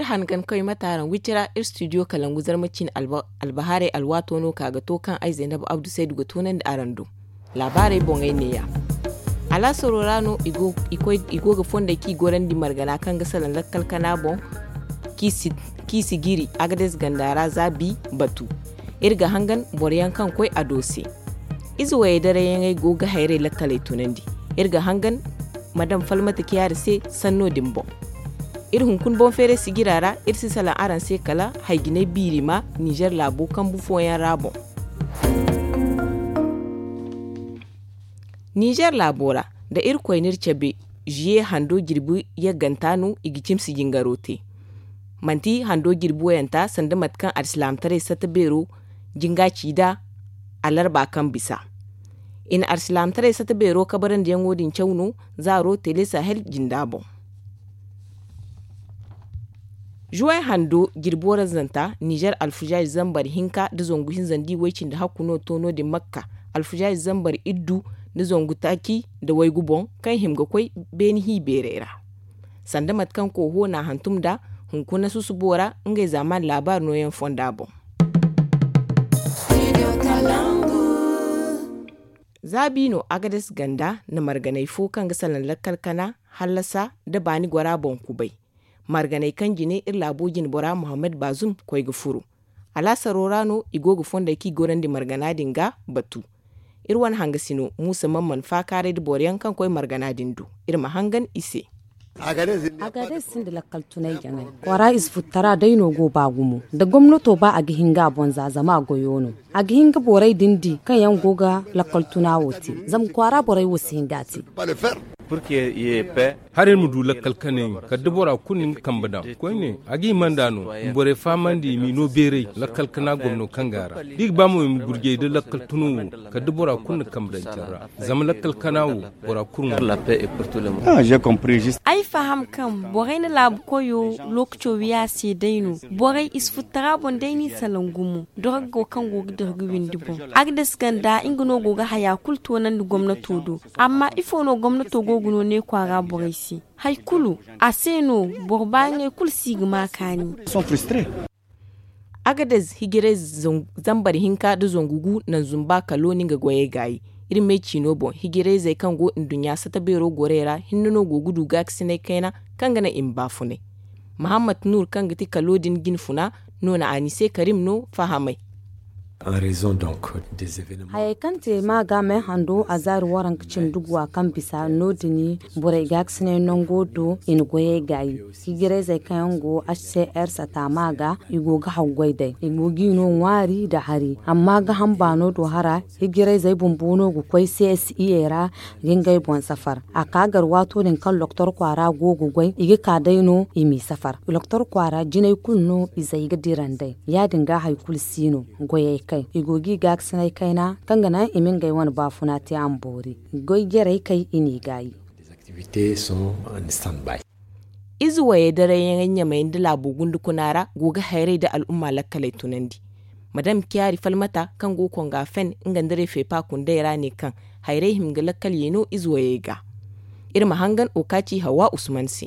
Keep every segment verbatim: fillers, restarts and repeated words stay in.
Hangan koy mate araŋ wicira iri studio kalangu zarma cine. Albahaarey alwaato no ka ga to kaŋ ay zaynab abdu saydu ga toonandi araŋ do. Laabaarey boŋey neeya. Alaasaro ra no i go ga fondey kaŋ i gorandi margana kaŋ ga salaŋ lakkal kana boŋ, kaŋ i si giri agades ganda ra za bi batu. Iri ga hangan boro yaŋ kaŋ koy a do se. Ize wayey darayyaŋey go ga hayrey lakkaley tunandi. Iri ga hangan madam falmata kiyaari se sanno din boŋ. Iri hunkuna boŋ feeray sijira ra iri si salaŋ araŋ se kala hayjinay biiri ma nizer laabo kambu fooyaŋ ra boŋ. Nizer laabo ra da irkoy n'iri cabe, ziye hando jirbi yagganta no i ga cimsi jingaro te. Manti hando jirbi wayanta sanda mate kaŋ alsilaamataray satta beero jinga ci nd'a alarba kaŋ bisa. I na alsilaamataray satta beero kabarandiyaŋo din caw no zaaro tele sahel jinda boŋ. Zuway hando jirbi warazzanta nizer alfuzaazi zambar hinka nda zangu hinza nda i way cindi hakku no to no- din makka alfuzaazi zambar iddu nda zangu taaci nda waygu boŋ kaŋ hima ga koy beeni hi beerey ra. Sanda mate kaŋ kooho n'a hantum nd'a hunkuna susubo ra ngey zaaman laabaari nooyaŋ fonda boŋ. Za biino agades ganda na marganay fo kaŋ ga salaŋ lakkal kana hallasa nda baani gora boŋ kubay. Marganay kaŋ jine iri laabo jinbora muhammad baazum koy ga furo. Alaasaro ra no i go ga fondey kaŋ i gorandi margana din ga batu. Iri wane hangasino muusa man mana faakaaray nda boro yaŋ kaŋ koy margana din do. Iri ma hangan i se. Agades sinda lakkal tunay jaŋay. Kwaara ize futtara day no go ba gumo da gomnato ba a ga hin ga a boŋ za zama a goyo no. A ga hin ga borey din di kaŋ yaŋ go ga lakkal tuna wo te. Zama kwaara borey wo si hin ga a te. Haray ma du lakkal kanay kala da bora kulu na nga kambe daŋ koyne a ga hima nd'a no. Ma borey fahamandi i m'i no beeray lakkal kana gomno kaŋ ga a ra da i ga ba mo i ma gurjay da lakkal tuno wo. Kala da bora kulu na kambe daŋ care ra zama lakkal kana wo bora kulu ŋwa. Ay faham kaŋ borey na laabu koyo lookaco wiya se day no. Borey i si futtara boŋ day no i salaŋ gumo dorgo kaŋ go ga dorgo windi boŋ. Agdes ganda nga no go ga haya kulu toonandi gomnato do. Amma ifo no gomnato go ga no ne kwaara borey se? Hari kulu a se no. Boro baayaŋey kulu si ga ma kaani. Agades hijirayze zambar hinka nda zangu gu naŋ zumba kalo no nga goyey gaayi. Iri me ciino boŋ hijirayzey kaŋ go nduɲɲa sata beero gorey ra hinne no go ga du gaakasinay kayna kaŋ ga naŋ i ma baafunay. Mahammad nur kaŋ ga ti kalo din jinfuna no na a ni se karim no fahamay. Hayey kaŋ te ma ga me hando a zaari waranka cindi guwa kaŋ bisa no- din borey gaakasinay nango do i na goyey gaayi. Hijirayzey kaŋ yaŋ go hcr sata ma ga i go ga haggoy day i go g'i no ŋwaari nda hari amma ga hamba no do hara. Hijirayzey bumbo no ga koy csi ra ga ngey boŋ safar. A ka gar waato din kaŋ loktor kwaara go ga goy i ga ka day no i m'i safar. Loktor kwaara jinay kulu no izey ga dira nd'ey ya- din ga hari kulu si no. Goyey kay i go g'i gaakasinay kayna kaŋ ga naŋ i ma ngey wane baafuna te a ma boori. Goy jarey kay i n'i gaayi. Ize wayey darayyaŋey ɲamey nda laabo gundukuna ra go ga hayrey nda al'umma lakkaley tunandi. Madam kiyaari falmata kaŋ go konga fen nga nda refeepa kundey ra ne kaŋ hayrey hima ga lakkal ye no ize wayey ga. Iri ma hangan okaaci hawa usman se.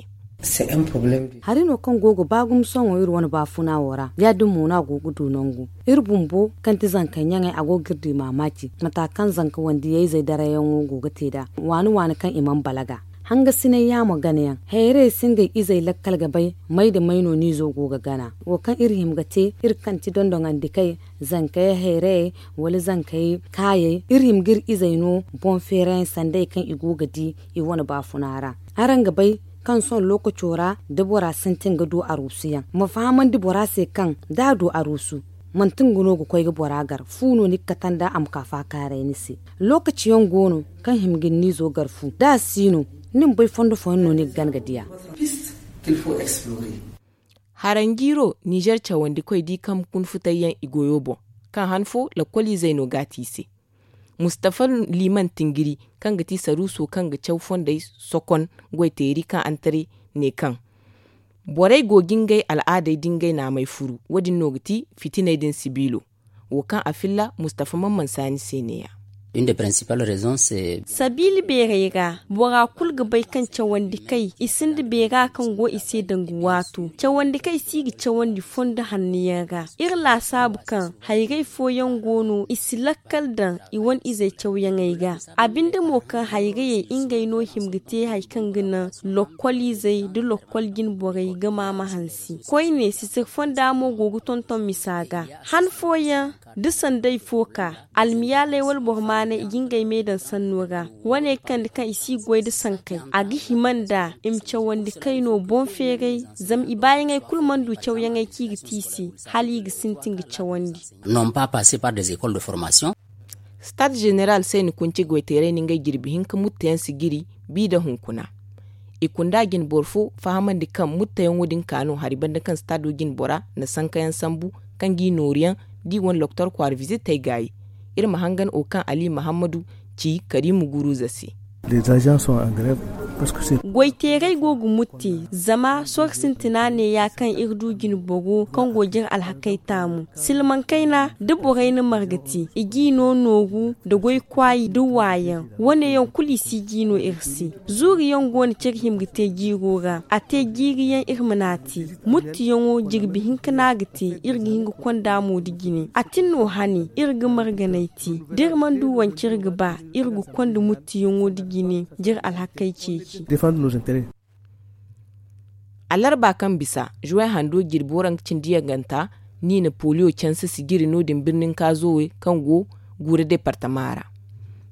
Hari no kaŋ go ga ba gumo sohõ iri wane baafuna wo ra ya- din mo no a go ga du nangu. Iri bumbo kaŋ ti zankey ɲaŋey a go ga iri di maamaaci mata kaŋ zanka wandiyayzey darayyaŋo go ga te nd'a waani waani kaŋ i mana balaga. Hangasinay yaamo ganayaŋ hayrayey si ngey izey lakkal ga bay may nda may no no izo go ga gana. Wo kaŋ iri hima ga te iri kaŋ ti dondoŋandikey, zankey hayrayey, wala zankey kaayey iri hima ga iri izey no boŋ feerayaŋ sandey kaŋ i go ga di i wane baafuna ra. Araŋ ga bay kaŋ sohõ lookaco ra da bora sintin ga du aruusuyaŋ ma fahamandi bora se kaŋ da a du aruusu manti nga no ga koy ga bora gar fu no ni ga kate nd'a a ma ka faakaaray ni se. Lookaci yaŋ go no kaŋ hima ga ni n'izo gar fu da a si no ni ma bay fondo fooyaŋ no ni ga gana ga di a. Haranjiiro nizer cawandikoy di kaŋ kun futayyaŋ i goyo boŋ kaŋ han fo lakkoliizey no ga a te i se. Mustafa liman tingiri kaŋ ga ti saruuso kaŋ ga caw fondey sokon goyteeri kaŋ antaray ne kaŋ borey go ga ngey al'aadey da ngey naamey furu wo- din no ga ti fitiney din sibiilo. Wo kaŋ a filla mustafa man mansa ni se ne- ya. Sabiila beeray ra, bora kulu ga bay kaŋ cawandi kay i sinda beera kaŋ go i se danga waato. Cawandi kay si ga cawandi fondo hanno yaŋ ra. Iri laasaabu kaŋ hayray fooyaŋ go no i si lakkal daŋ i wane izey cawyaŋey ga. A binde mo kaŋ hayrayey ngey no hima ga te hari kaŋ ga naŋ lokkol izey nda lokkol jine borey ga maama hansi. Koyne sisir fonda mo go ga tonton misa ga. Han fooyaŋ da sanday fo ka almiyaaley wala boro maanay i ga ngey me daŋ sanno ra. Wane ga kande kaŋ i si goy nda sankey a ga hima nda i ma cawandi kay no boŋ feeray. Zama i baayaŋey kulu mana du cawyaŋey kaŋ i ga te i se hala i ga sintin ga cawandi. Non pas passer par des écoles de formation. Stade général se ni kunci goyteeray na ngey jirbi hinka mutta yaŋ si jiri bi nda hunkuna. I kunda jine boro fo fahamandi kaŋ muttayaŋo din ka no hari banda kaŋ stado jine bora na sankayaŋ sambu kaŋ g'i nooru yaŋ da i wane loktor kwaara vizitey gaayi. Iri ma hangan wo kaŋ ali mahammadu ci karimu guruza se. Goyteeray go ga mutti zama soro sintina neeya kaŋ iri du jine boro kaŋ go jire alhakey taamu silmaŋ kayna da borey na marga te i g'i no nooru nda goy kwaayi nda waayaŋ. Wane yaŋ kulu i si g'i no iri se. Zuuri yaŋ go no kaŋ iri hima ga te jiiro ra a te jiiri yaŋ iri ma n'a te. Muttiyaŋo jirbi hinka no a ga te. Iri ga hin ga konda mo nda jine a tin no hane iri ga marganay te da iri mana du wance iri ga ba iri ga konda muttiyaŋo nda jine jire alhakey ceeci. Alarba kaŋ bisa juway hando jirbi waranka cindi yaganta ni na poliyo canse sijiri no- din birnin kaazowe kaŋ go guura departama ra.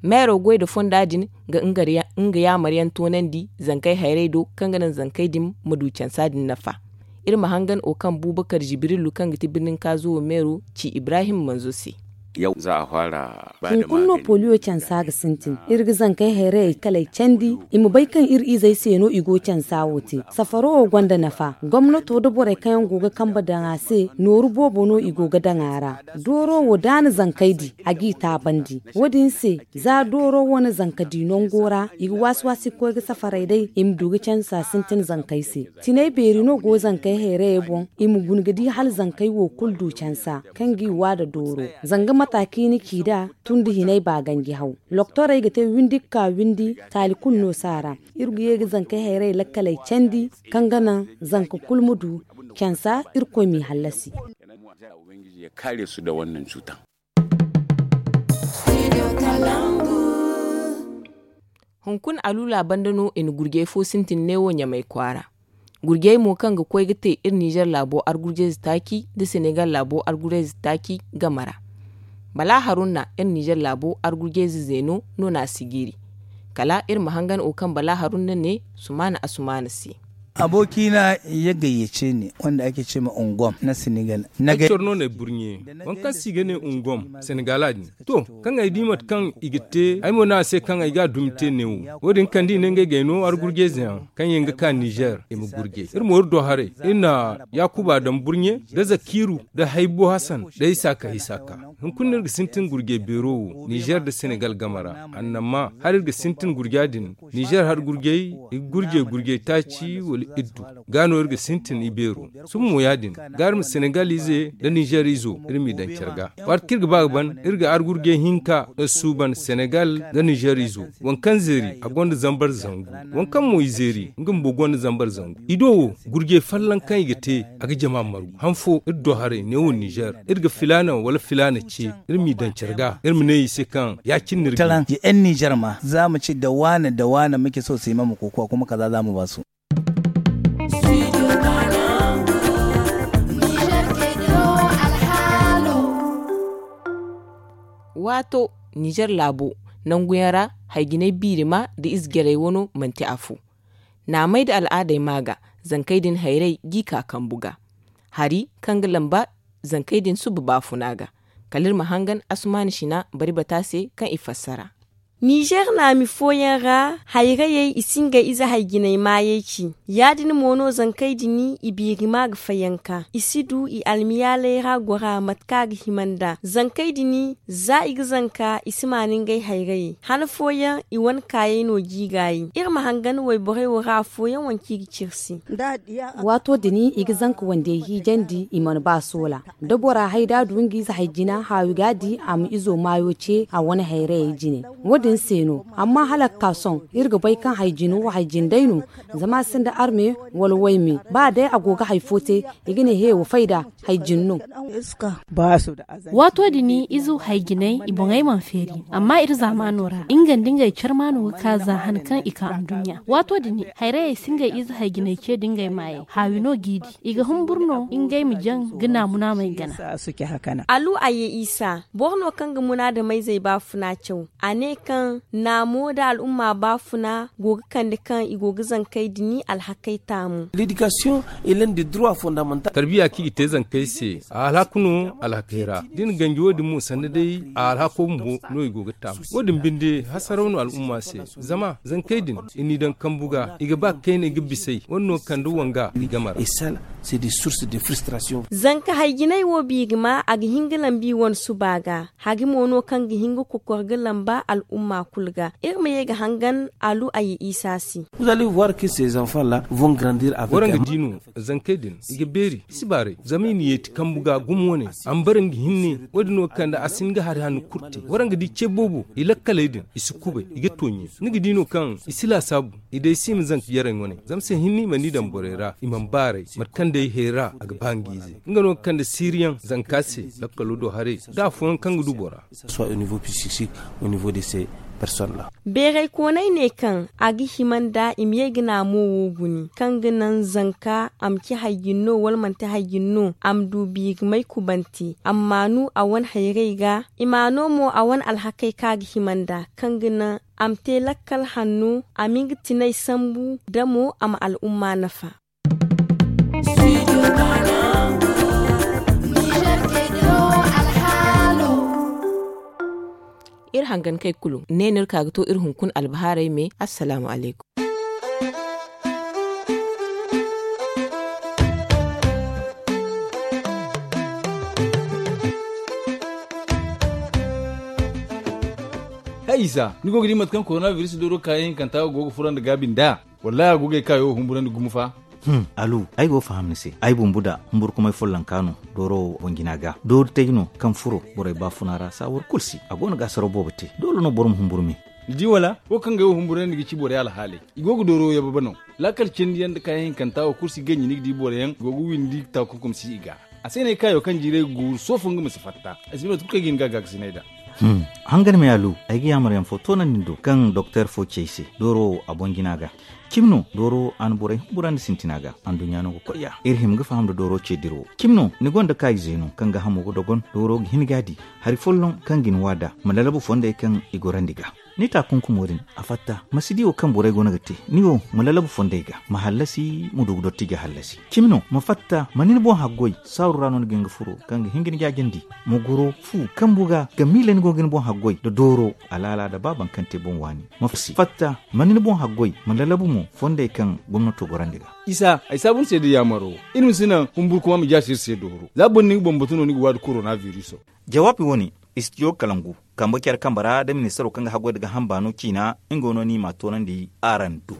Meero goy nda fonda din ga nga yaamaryaŋ toonandi zankey hayray do kaŋ ga naŋ zankey din ma du cansa din nafa. Iri ma hangan wo kaŋ bubakar jibrilu kaŋ ga ti birnin kaazowe meero ci ibrahim manzo se. Hunkuna no poliyo cansa ga sintin iri ga zankey hayrayey kaley candi i ma bay kaŋ iri izey se no i go cansa wo te. Safaro wo gonda nafa gomnato nda borey kaŋ yaŋ go ga kambe daŋ a se nooru boobo no i go ga daŋ a ra. Dooro wo da a na zankey di a g'i taabandi. Wo- din se za dooro wo na zanka di nango ra i ga waasi waasi ga koy ga safaray day i ma du ga cansa sintin zankey se. Tinay beeri no go zankey hayrayey boŋ i ma guna ga di hala zankey wo kulu du cansa kaŋ g'i wa nda dooro. Zanga mata kaŋ i na ci nd'a tun da hinay ba ganji haw. Loktorey ga te windi ga ka windi taali kulu no si a ra. Iri ga ye ga zankey hayrayey lakkaley candi kaŋ ga naŋ zanka kulu ma du cansa. Irkoy m'i hallasi. Hunkuna aluula banda no i na gurjey fo sintin neewo ɲamay kwaara. Gurjey mo kaŋ ga koy ga te iri nizer laabo argurjeyze taaci nda senegal laabo argurjeyze taaci game ra. Bala harunna iri nizer laabo argurjeyze zeeno no no a si jiiri. Kala iri ma hangan wo kaŋ bala harunna ne sumaana asumaana se. Abokina ya gayyace ni wanda ake ce ma ungom na senegal. Ay coro no na ay burɲe waŋ kaŋ se i ga ne ungom senegala din. To, kaŋ ay di mate kaŋ i ga te ay mo ne a se kaŋ ay ga a dumi te neewo. Wo- din kande i ne ngey g'ay no argurjeyze yaŋ kaŋ yaŋ ga ka nizer i ma gurjey iri mo iri do haray. Iri na yaakuba daŋ burɲe nda zakiiru nda haybo hasan nda isaaka isaaka. Hunkuna no iri ga sintin gurjey beero wo nizer nda senegal game ra. Annamma hala iri ga sintin gurja din nizer hari gurjey i ga gurjey gurjey taaci wala iddu. Ga no iri ga sintin ibeero. Sohõ mo ya- din ga iri ma senegal ize nda nizer izo iri m'i daŋ care ga. Waati kaŋ iri ga ba ga ban iri ga argurjey hinka suuban senegal nda nizer izo. Waŋ kaŋ zeeri a gonda zambar zangu. Waŋ kaŋ mo i zeeri nga bumbo gonda zambar zangu. I do wo gurjey folloŋ kaŋ i ga te a ga jama margu han fo iri do haray neewo nizer iri ga filaana wala filaana ce. Iri m'i daŋ care ga iri ma ne i se kaŋ ya- cine no iri ga. Yan nizer ma za ma ci da waane da waane muke so su yi ma ma kokowa kuma kaza za mu ba su. Waato nizer laabo nangu yaŋ ra hayjinay biirima nda ize jarey wano manti afo. Naamey nda al'aadey ma ga zankey din hayray g'i ka kambu ga. Hari kaŋ ga lamba zankey din suba baafuna ga. Kala iri ma hangan asumaana sina bari bata se kaŋ i fassara. Nizer naami fooyaŋ ra, hayrayey i si ngey ize hay-jinay maayey ci. Ya-din mo no zankey din i biiri ma ga fayanka, i si du i almiyaaley ra gora mate kaŋ a ga hima nd'a. Zankey din, za i ga zanka, i si maani ngey hayrayey. Han fooyaŋ, i wane kaayey no jiigaayey. Iri ma hangan wayborey wo ra afooyaŋ wanci i ga ciri se. Waato din i ga zanka wandey hiijandi, i mana ba soola. Da bora hay da a du nga ize hay-jina, haawi ga a di a ma izo maayo ce a wane hayrayey jine. Wo-din se no. Amma hala ga ka sohõ, iri ga bay kaŋ hay-jina wo hay-jine day no. Zama a sinda arme wala wayme. Ba day a go ga hay fo te, i ga ne he wa fay nd'a, hay-jine no. Waato din ize hay-jinay i boŋey mana feeri, amma iri zaamaano ra nga nda ngey carmaano ga ka za han kaŋ i ka anduɲɲa. Waato din hayrayey si ngey ize hay-jinay ce nda ngey maayey, haawi no g'i di. I ga humburu no ngey ma jaŋ ga naamu-naamey gana. Alu a ye isa, boro no kaŋ ga munaadameyzey baafuna caw. A ne kaŋ naamo nda al'umma baafuna go ga kande kaŋ i go ga zankey din alhakey taamu. Tarbiya kaŋ i ga te zankey se, a alhaku no alhakey ra. Da i na ganji wo-din mo sanda day a alhako bumbo no i go ga taamu. Wo-din binde hasaraw no al'umma se. Zama zankey din i n'i daŋ kambu ga, i ga ba kayna i ga bis'ey. Wane no kande wanga i game ra. Zanka hay-jinay wo biiri ma a ga hin ga lambu i wane suba ga. Hari mo no kaŋ ga hin ga kokor ga lamba al'umma kulu ga. Iri ma ye ga hangan alu a ye isa se. Waraŋ ga di no, zankey din i ga beeri i si baaray zama i na yeeti kambu ga gumo wane. A ma bara nga hinne. Wo-din no ga kande a si hin ga hari hanno kulu te. Waraŋ ga di ce boobo i lakkaley din i si kubay i ga tooɲe. Ni ga di no kaŋ i si laasaabu. I day si i ma zanka jarey wane zama se hinne i mana i daŋ borey ra i mana baaray. Mate kaŋ day hayra a ga ba nga ize nga no ga kande siiriyaŋ zanka se. Lakkalo do haray da afooyaŋ kaŋ ga du bora. Beeray koonay ne kaŋ a ga hima nda i ma ye ga naamo wo guni kaŋ ga naŋ zanka a ma ci hay-jine no wala manti hay-jine no a ma du biiri may kubante a ma maanu a wane hayray ga. I maano mo a wane alhakey kaŋ a ga hima nda kaŋ ga naŋ a ma te lakkal hanno a ma nga tinay sambu da mo a ma al'umma nafa. Iri hangankey kulu ne no iri ka ga to iri hunkuna albahaarey me. Assalaamu alaykum. Hay isa, ni go ga di mate kaŋ korona biris dooro kaayaŋ hinkanta go ga furandi gaabi nd'a? Wallaahi a go ga ay kaayo humburandi gumo fa. Alu, ay go ga faham ni se. Ay bumbu da humburkumay follonka no dooro boŋ jina ga doori tay no kaŋ furo borey baafuna ra saawar kulu si a go no ga asaraw boobo te. Doole no boro ma humburu me. Ni di wala wo kaŋ ga ay wo humburandi ga ci borey alhaaley. I go ga dooro yababe no. Laakal cindi yaŋ nda kaayaŋ hinkanta wo kulu si ganji ni ga di boro yaŋ go ga windi taakunkum si i ga. A se no ay kaayo kaŋ jiiray ga guuru soofo nga ma si fatta. Ay si bay mate kulu kaŋ ay ga hin ga gaakasinay nd'a. Hangan me alu, ay ga yaamar yaŋ fo toonandi ni do kaŋ doktor fo ci ay se dooro wo a boŋ jina ga. Cimi no dooro a na borey humburandi sintina ga. Anduɲɲa no ga koy ya iri hima ga faham nda dooro ce dira wo. Cimi no ni gonda kaayize no kaŋ ga hamo ga dogon dooro ga hin ga a di hari folloŋ kaŋ ga ni waada ma lalabu fondey kaŋ i gorandi ga. Ni taakunkumo din a fatta ma si di wo kaŋ borey go no ga te. Ni wo ma lalabu fondey ga ma hallasi ma du ga dotti ga hallasi. Cimi no ma fatta ma ni ni boŋ haggoy saaru ra no ni ga hin ga furo kaŋ ga hin ga ni jaajandi. Ma goro fu kambu ga ga miila ni go ga ni boŋ haggoy nda dooro alaala nda ba baŋ kaŋ te boŋ waani. Ma fatta ma ni ni boŋ haggoy ma lalabu mo fondey kaŋ gomnato gorandi ga. Isa ay saabu ni se da yaamaro. Iri ma si naŋ humburkuma ma jaasi iri se dooro za boro ni ga bambatu no ni ga waadi korona viriso. Jawaabi wane istidiyo kalangu kambe care kambe ra nda ministaro kaŋ ga haggoy nda ga hamba no ciina. Nga no ni ma a toonandi araŋ do.